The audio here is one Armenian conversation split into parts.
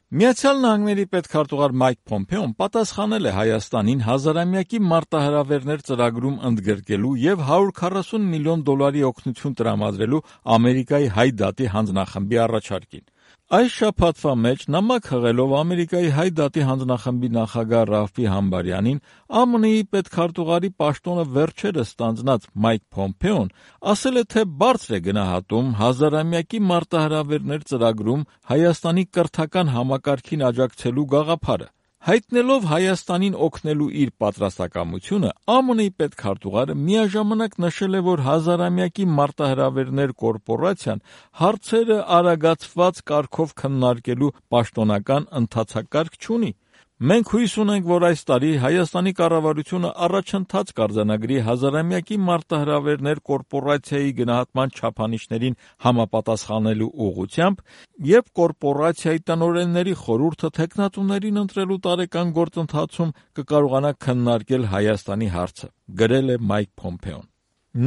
Միացյալ Նահանգների պետքարտուղար Մայք Փոմփեոն պատասխանել է Հայաստանին հազարամյակի մարտահրավերներ ծրագրում ընդգրկելու և $140 միլիոն օգնություն տրամադրելու Ամերիկայի Հայ դատի հանձնախմբի առաջարկին։ Այս շաբաթվա մեջ նամակ հղելով Ամերիկայի Հայ դատի հանձնախմբի նախագահ Ռալֆ Համբարյանին, ԱՄՆ-ի պետքարտուղարի պաշտոնը վերջերս ստանձնած Մայք Փոմփեոն ասել է, թե բարձր է գնահատում հազարամյակի մարտահրավերներ ծրագրում Հայաստանի կրթական համակարգին աջակցելու գաղափարը։ Հայտնելով Հայաստանին օգնելու իր պատրաստակամությունը, ԱՄՆ-ի պետքարտուղարը միաժամանակ նշել է, որ հազարամյակի մարտահրավերներ կորպորացիան հարցերը արագացված կարգով քննարկելու պաշտոնական ընթացակարգ չունի։ Մենք հույս ունենք, որ այս տարի Հայաստանի կառավարությունը առաջընթաց կարձանագրի հազարամյակի մարտահրավերներ կորպորացիայի գնահատման չափանիշներին համապատասխանելու ուղղությամբ և կորպորացիայի տնօրենների խորհուրդը թեկնածուներին ընտրելու տարեկան գործընթացում կկարողանա քննարկել Հայաստանի հարցը, գրել է Մայք Փոմփեոն։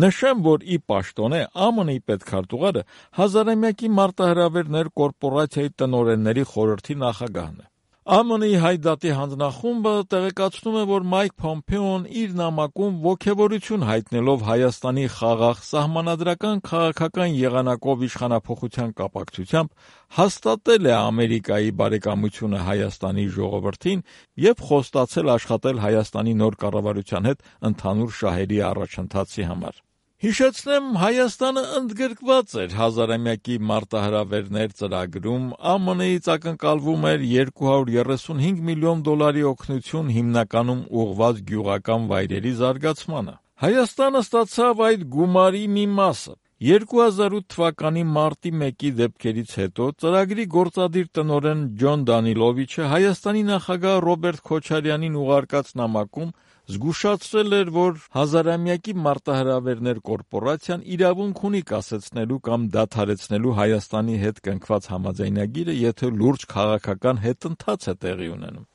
Նշեմ, որ ի պաշտոնե ԱՄՆ-ի պետքարտուղարը հազարամյակի մարտահրավերներ կորպորացիայի տնօրենների խորհրդի նախագահն է։ ԱՄՆ-ի Հայ դատի հանձնախումբը տեղեկացնում է, որ Մայք Փոմփեոն իր նամակում ոգևորություն հայտնելով Հայաստանի խաղաղ, սահմանադրական քաղաքական եղանակով իշխանափոխության կապակցությամբ հաստատել է Ամերիկայի բարեկամությունը Հայաստանի ժողովրդին և խոստացել աշխատել Հայաստանի նոր կառավարության հետ ընդհանուր շահերի առաջընթացի համար։ Հիշեցնեմ, Հայաստանը ընդգրկված էր հազարամյակի մարտահրավերներ ծրագրում, ԱՄՆ-ից ակնկալվում էր $235 միլիոն օգնություն հիմնականում ուղղված գյուղական վայրերի զարգացմանը։ Հայաստանը ստացավ այդ գումարի մի մասը։ 2008 թվականի մարտի 1-ի դեպքերից հետո ծրագրի գործադիր տնօրեն Ջոն Դանիլովիչը Հայաստանի նախագահ Ռոբերտ Քոչարյանին ուղարկած նամակում զգուշացրել էր, որ հազարամյակի մարտահրավերներ կորպորացիան իրավունք ունի կասեցնելու կամ դադարեցնելու Հայաստանի հետ կնքված համաձայնագիրը, եթե լուրջ քաղաքական հետընթաց է տեղի ունենում։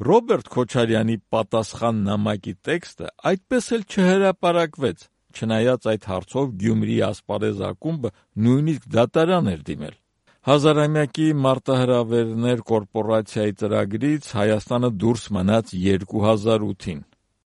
Ռոբերտ Քոչարյանի պատասխան նամակի տեքստը այդպես էլ չհրապարակվեց, չնայած այդ հարցով Գյումրիի ասպարեզ ակումբը նույնիսկ դատարան էր դիմել։ Հազարամյակի մարտահրավերներ կորպորացիայի ծրագրից Հայաստանը դուրս մնաց 2008-ին։